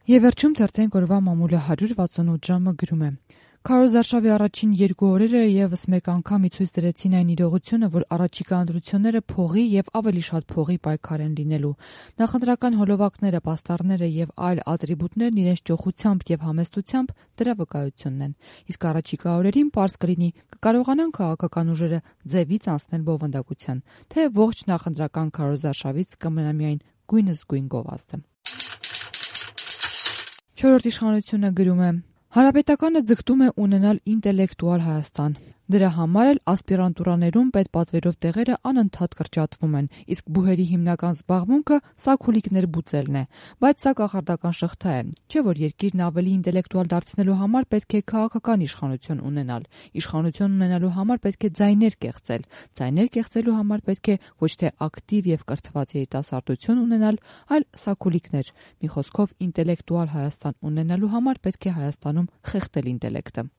Եվ վերջում թերթենք օրվա մամուլը 168 ժամը գրում է. Քարոզարշավի առաջին 2 օրերը եւս մեկ անգամ ի ցույց դրեցին այն իրողությունը, որ առաջիկա ընտրությունները փողի եւ ավելի շատ փողի պայքար են լինելու։ Նախընտրական հոլովակները, պաստառները եւ այլ ատրիբուտներն իրենց ճոխությամբ եւ համեստությամբ դրա վկայությունն են։ Իսկ առաջիկա օրերին պարզ կլինի կկարողանան քաղաքական ուժերը ձևից անցնել բովանդակության, թե ողջ նախընտրական քարոզարշավից կմնա միայն գույնս գույն գովազդը։ Չորրորդ իշխանությունը գրում է. Հանրապետականը ձգտում է ունենալ ինտելեկտուալ Հայաստան։ Դրա համար էլ ասպիրանտուրաներում պետպատվերով տեղերը անընդհատ կրճատվում են, իսկ բուհերի հիմնական զբաղմունքը սաքուլիկներ բուծելն է։ Բայց սա կախարդական շղթա է, չէ՞ որ երկիրն ավելի ինտելեկտուալ դարձնելու համար պետք է քաղաքական իշխանություն ունենալ։ Իշխանություն ունենալու համար պետք է ձայներ կեղծել։ Ձայներ կեղծելու համար պետք է ոչ թե ակտիվ եւ կրթված երիտասարդություն ունենալ, այլ սաքուլիկներ։ Մի խոսքով ինտելեկտուալ Հայաստան ունենալու համար պետք է Հայաստանում խեղդել ինտելեկտը։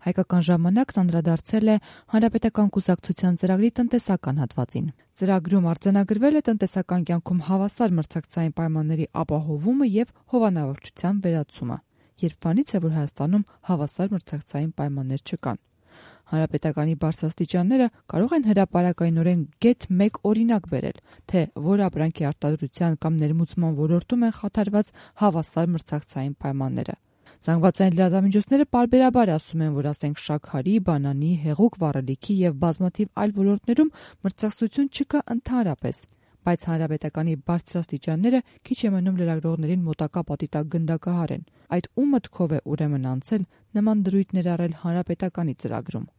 Հայկական ժամանակն անդրադարձել է Հանրապետական կուսակցության ծրագրի տնտեսական հատվածին։ Ծրագրում արձանագրվել է տնտեսական կյանքում հավասար մրցակցային պայմանների ապահովումը եւ հովանավորչության վերացումը։ Երբ բանից է, որ Հայաստանում հավասար մրցակցային պայմաններ չկան։ Հանրապետականի բարձրաստիճանները կարող են հրապարակայնորեն գեթ մեկ օրինակ բերել, թե որ ապրանքի արտադրության կամ ներմուծման ոլորտում են խաթարված հավասար մրցակցային պայմանները։ Զանգվածային լրատվամիջոցները պարբերաբար ասում են, որ ասենք շաքարի, բանանի, հեղուկ վառելիքի եւ բազմաթիվ այլ ոլորտներում մրցակցություն չկա ընդհանրապես, բայց հանրապետականի բարձրաստիճանները քիչ է մնում լրագրողներին մոտակա պատի տակ գնդակահարեն։ Այդ ում մտքով է ուրեմն անցել նման դրույթ ներառել հանրապետականի ծրագրում։